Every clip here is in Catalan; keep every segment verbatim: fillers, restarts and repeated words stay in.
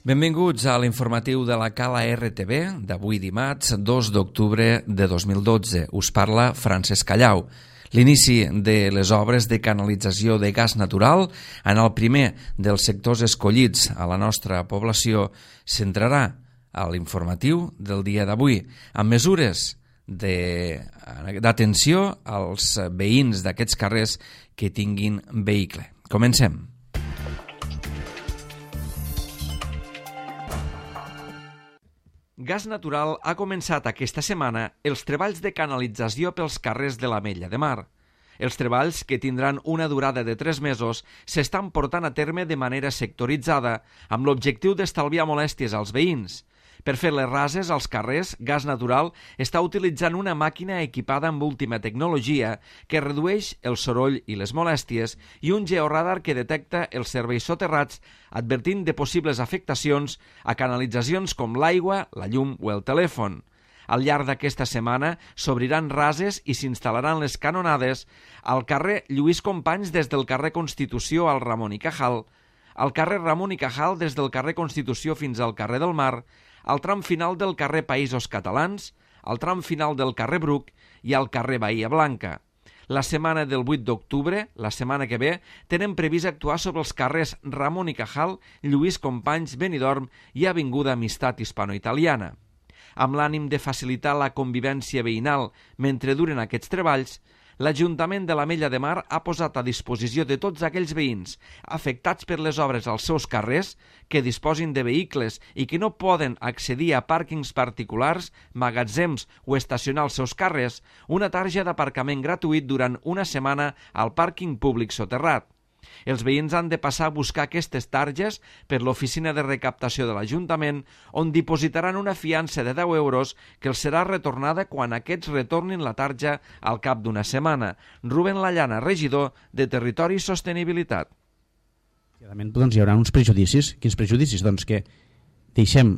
Benvinguts a l'informatiu de la Cala R T V d'avui dimarts, dos d'octubre de dos mil dotze. Us parla Francesc Callau. L'inici de les obres de canalització de gas natural en el primer dels sectors escollits a la nostra població centrarà a l'informatiu del dia d'avui, amb mesures d'atenció als veïns d'aquests carrers que tinguin vehicle. Comencem. Gas Natural ha començat aquesta setmana els treballs de canalització pels carrers de l'Ametlla de Mar. Els treballs, que tindran una durada de tres mesos, s'estan portant a terme de manera sectoritzada, amb l'objectiu d'estalviar molèsties als veïns. Per fer les rases als carrers, Gas Natural està utilitzant una màquina equipada amb última tecnologia que redueix el soroll i les molèsties i un georadar que detecta els serveis soterrats advertint de possibles afectacions a canalitzacions com l'aigua, la llum o el telèfon. Al llarg d'aquesta setmana s'obriran rases i s'instal·laran les canonades al carrer Lluís Companys des del carrer Constitució al Ramon i Cajal, al carrer Ramon i Cajal des del carrer Constitució fins al carrer del Mar, al tram final del carrer Països Catalans, al tram final del carrer Bruc i al carrer Bahia Blanca. La setmana del vuit d'octubre, la setmana que ve, tenen previst actuar sobre els carrers Ramon i Cajal, Lluís Companys, Benidorm i Avinguda Amistat Hispano-Italiana. Amb l'ànim de facilitar la convivència veïnal mentre duren aquests treballs, l'Ajuntament de l'Ametlla de Mar ha posat a disposició de tots aquells veïns afectats per les obres als seus carrers que disposin de vehicles i que no poden accedir a pàrquings particulars, magatzems o estacionar els seus carrers, una tarja d'aparcament gratuït durant una setmana al pàrquing públic soterrat. Els veïns han de passar a buscar aquestes targes per l'oficina de recaptació de l'Ajuntament, on dipositaran una fiança de deu euros que els serà retornada quan aquests retornin la tarja al cap d'una setmana. Rubén Lallana, regidor de Territori i Sostenibilitat. Doncs hi haurà uns prejudicis. Quins prejudicis? Doncs que deixem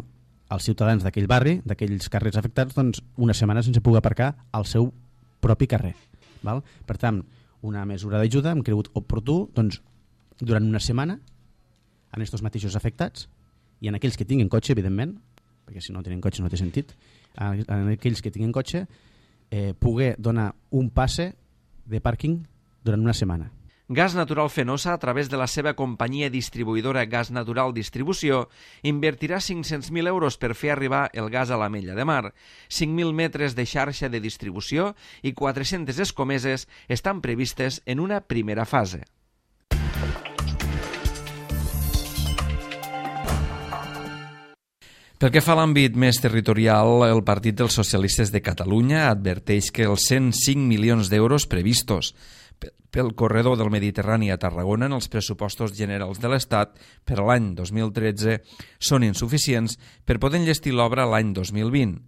als ciutadans d'aquell barri, d'aquells carrers afectats, doncs una setmana sense poder aparcar al seu propi carrer. Val? Per tant, una mesura d'ajuda, hem cregut oportú, doncs, durant una setmana, en aquests mateixos afectats, i en aquells que tinguin cotxe, evidentment, perquè si no tenen cotxe no té sentit, en aquells que tinguin cotxe, eh, poder donar un passe de pàrquing durant una setmana. Gas Natural Fenosa, a través de la seva companyia distribuïdora Gas Natural Distribució, invertirà cinc-cents mil euros per fer arribar el gas a l'Ametlla de Mar. cinc mil metres de xarxa de distribució i quatre-centes escomeses estan previstes en una primera fase. Pel que fa a l'àmbit més territorial, el Partit dels Socialistes de Catalunya adverteix que els cent cinc milions d'euros previstos pel corredor del Mediterrani a Tarragona en els pressupostos generals de l'Estat per a l'any dos mil tretze són insuficients per poder enllestir l'obra l'any dos mil vint.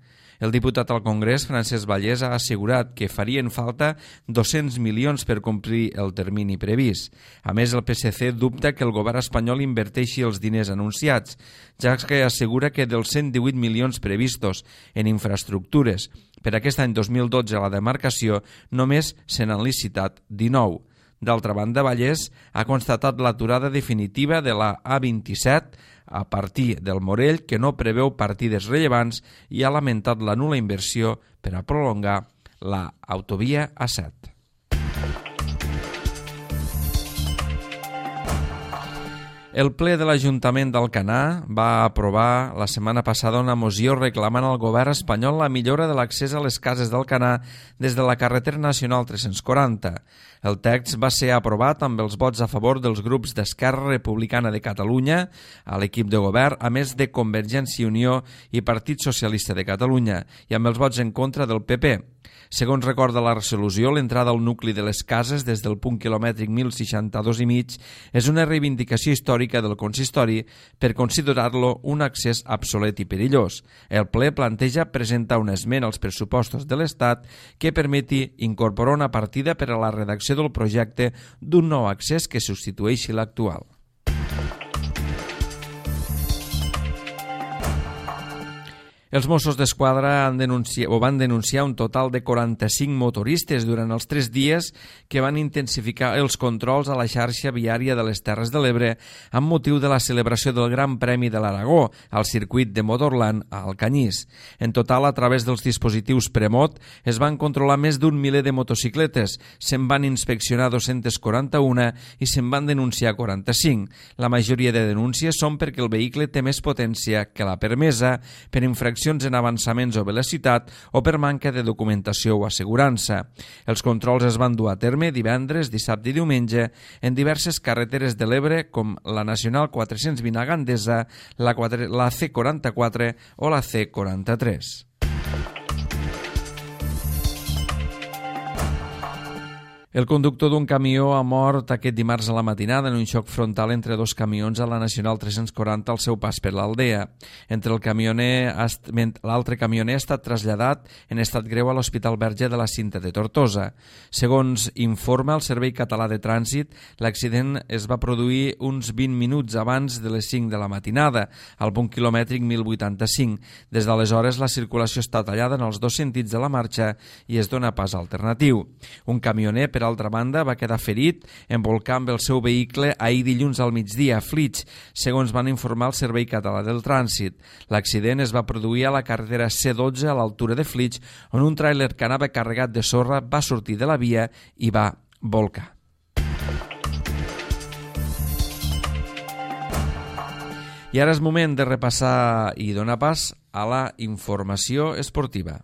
El diputat al Congrés, Francesc Vallès, ha assegurat que farien falta dos-cents milions per complir el termini previst. A més, el P S C dubta que el govern espanyol inverteixi els diners anunciats, ja que assegura que dels cent divuit milions previstos en infraestructures per aquest any dos mil dotze a la demarcació només se n'han licitat dinou. D'altra banda, Vallès ha constatat l'aturada definitiva de la A vint-i-set a partir del Morell, que no preveu partides rellevants, i ha lamentat la nul·la inversió per a prolongar la autovia A set. El ple de l'Ajuntament d'Alcanar va aprovar la setmana passada una moció reclamant al govern espanyol la millora de l'accés a les cases d'Alcanar des de la carretera nacional tres-cents quaranta. El text va ser aprovat amb els vots a favor dels grups d'Esquerra Republicana de Catalunya a l'equip de govern, a més de Convergència i Unió i Partit Socialista de Catalunya, i amb els vots en contra del P P. Segons recorda la resolució, l'entrada al nucli de les cases des del punt quilomètric mil seixanta-dos i mig és una reivindicació històrica del consistori per considerar-lo un accés obsolet i perillós. El ple planteja presentar una esmena als pressupostos de l'Estat que permeti incorporar una partida per a la redacció del projecte d'un nou accés que substitueixi l'actual. Els Mossos d'Esquadra han denunciat, o van denunciar un total de quaranta-cinc motoristes durant els tres dies que van intensificar els controls a la xarxa viària de les Terres de l'Ebre amb motiu de la celebració del Gran Premi de l'Aragó al circuit de Motorland a Alcanyís. En total, a través dels dispositius Premot, es van controlar més d'un miler de motocicletes, se'n van inspeccionar dos-cents quaranta-un i se'n van denunciar quaranta-cinc. La majoria de denúncies són perquè el vehicle té més potència que la permesa, per infraccions en avançaments o velocitat o per manca de documentació o assegurança. Els controls es van dur a terme divendres, dissabte i diumenge en diverses carreteres de l'Ebre com la Nacional quatre-cents vint a Gandesa, la, la C quaranta-quatre o la C quaranta-tres. El conductor d'un camió ha mort aquest dimarts a la matinada en un xoc frontal entre dos camions a la Nacional tres-cents quaranta al seu pas per l'Aldea. Entre el camioner, l'altre camioner ha estat traslladat en estat greu a l'Hospital Verge de la Cinta de Tortosa. Segons informa el Servei Català de Trànsit, l'accident es va produir uns vint minuts abans de les cinc de la matinada, al punt quilomètric mil vuitanta-cinc. Des d'aleshores, la circulació està tallada en els dos sentits de la marxa i es dona pas alternatiu. Un camioner, per altra banda, va quedar ferit embolcant el seu vehicle ahir dilluns al migdia a Flix, segons van informar el Servei Català del Trànsit. L'accident es va produir a la carretera C dotze a l'altura de Flix, on un tràiler que anava carregat de sorra va sortir de la via i va volcar. I ara és moment de repassar i donar pas a la informació esportiva.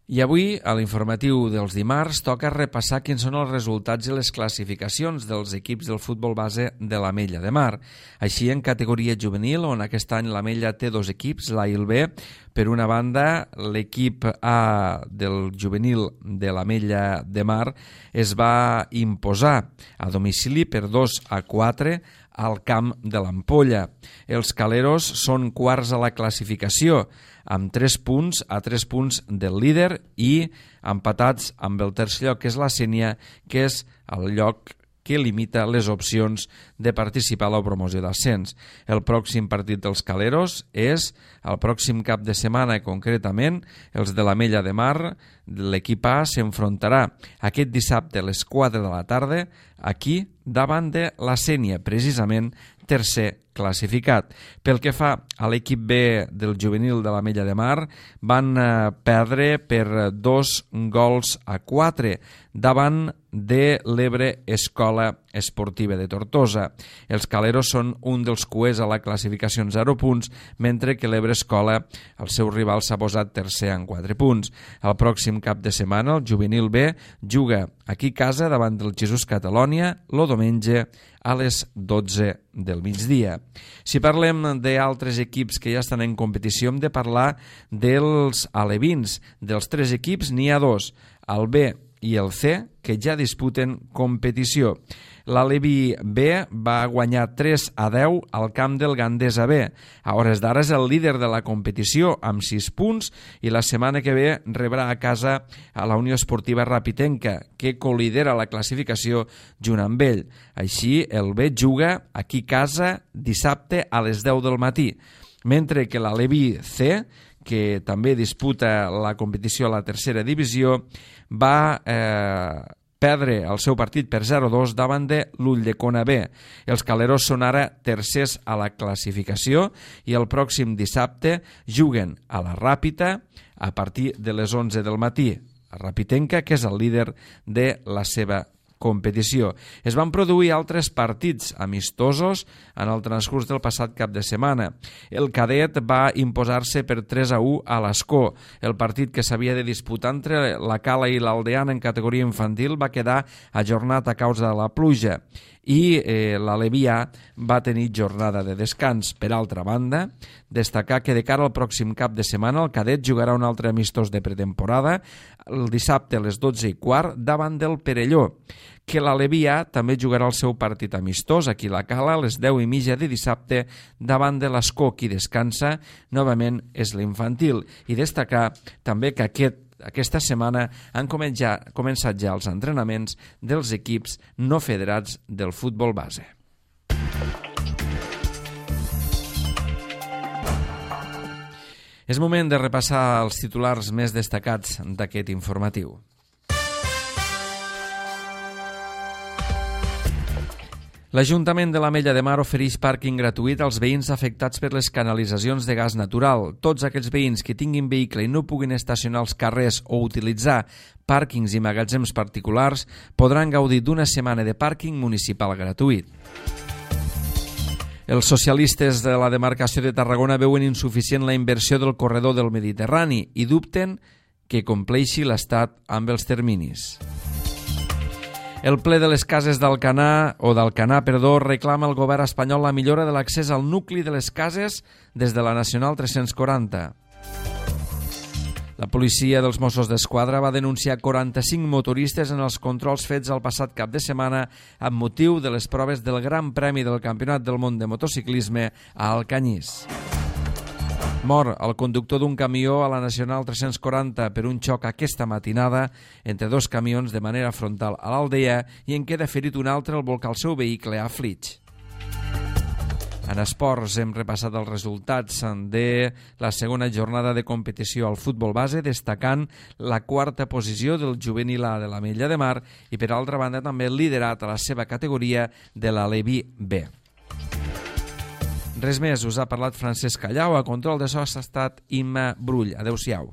I avui, a l'informatiu dels dimarts, toca repassar quins són els resultats i les classificacions dels equips del futbol base de l'Ametlla de Mar. Així, en categoria juvenil, on aquest any l'Ametlla té dos equips, l'A i el B, per una banda, l'equip A del juvenil de l'Ametlla de Mar es va imposar a domicili per dos a quatre al camp de l'Ampolla. Els caleros són quarts a la classificació, amb tres punts a tres punts del líder i empatats amb el tercer lloc, que és la Sénia, que és el lloc que limita les opcions de participar a la promoció d'ascens. El pròxim partit dels caleros és el pròxim cap de setmana, concretament els de l'Ametlla de Mar. L'equip A s'enfrontarà aquest dissabte a les quatre de la tarda aquí davant de la Sénia, precisament tercer classificat. Pel que fa a l'equip B del juvenil de l'Ametlla de Mar, van perdre per dos gols a quatre davant de l'Ebre Escola Esportiva de Tortosa. Els caleros són un dels cuers a la classificació en zero punts, mentre que l'Ebre Escola, el seu rival, s'ha posat tercer en quatre punts. El pròxim cap de setmana, el juvenil B juga aquí a casa davant del Jesús Catalònia, el diumenge a les dotze del migdia. Si parlem d'altres equips que ja estan en competició, hem de parlar dels alevins. Dels tres equips n'hi ha dos, el B i el C, que ja disputen competició. L'Aleví B va guanyar tres a deu al camp del Gandesa B. A hores d'ara és el líder de la competició amb sis punts i la setmana que ve rebrà a casa a la Unió Esportiva Rapitenca, que colidera la classificació junt amb ell. Així, el B juga aquí a casa dissabte a les deu del matí, mentre que l'Aleví C, que també disputa la competició a la tercera divisió, va eh, perdre el seu partit per zero a dos davant de l'Ulldecona B. Els caleros són ara tercers a la classificació i el pròxim dissabte juguen a la Ràpita a partir de les onze del matí. A Rapitenca, que és el líder de la seva competició. Es van produir altres partits amistosos en el transcurs del passat cap de setmana. El cadet va imposar-se per tres a u a l'Escó. El partit que s'havia de disputar entre la Cala i l'Aldeana en categoria infantil va quedar ajornat a causa de la pluja i eh, l'Alevià va tenir jornada de descans. Per altra banda, destacar que de cara al pròxim cap de setmana el cadet jugarà un altre amistós de pretemporada el dissabte a les dotze i quart davant del Perelló, que l'Alevià també jugarà el seu partit amistós aquí a la Cala a les deu i mitja de dissabte davant de l'Escó. Qui descansa novament és l'infantil. I destacar també que aquest Aquesta setmana han començat ja els entrenaments dels equips no federats del futbol base. És moment de repassar els titulars més destacats d'aquest informatiu. L'Ajuntament de l'Ametlla de Mar ofereix pàrquing gratuït als veïns afectats per les canalitzacions de gas natural. Tots aquells veïns que tinguin vehicle i no puguin estacionar als carrers o utilitzar pàrquings i magatzems particulars podran gaudir d'una setmana de pàrquing municipal gratuït. Els socialistes de la demarcació de Tarragona veuen insuficient la inversió del corredor del Mediterrani i dubten que compleixi l'Estat amb els terminis. El ple de les cases d'Alcanar, o d'Alcanar, perdó, reclama al govern espanyol la millora de l'accés al nucli de les cases des de la Nacional tres-cents quaranta. La policia dels Mossos d'Esquadra va denunciar quaranta-cinc motoristes en els controls fets el passat cap de setmana amb motiu de les proves del Gran Premi del Campionat del Món de Motociclisme a Alcanyís. Mor el conductor d'un camió a la Nacional tres-cents quaranta per un xoc aquesta matinada entre dos camions de manera frontal a l'Aldea i en queda ferit un altre al volcar el seu vehicle a Flix. En esports hem repassat els resultats de la segona jornada de competició al futbol base, destacant la quarta posició del juvenil A de l'Ametlla de Mar i, per altra banda, també liderat a la seva categoria de l'Alevi B. Res més, us ha parlat Francesc Callau, a control de so ha estat Imma Brull. Adéu-siau.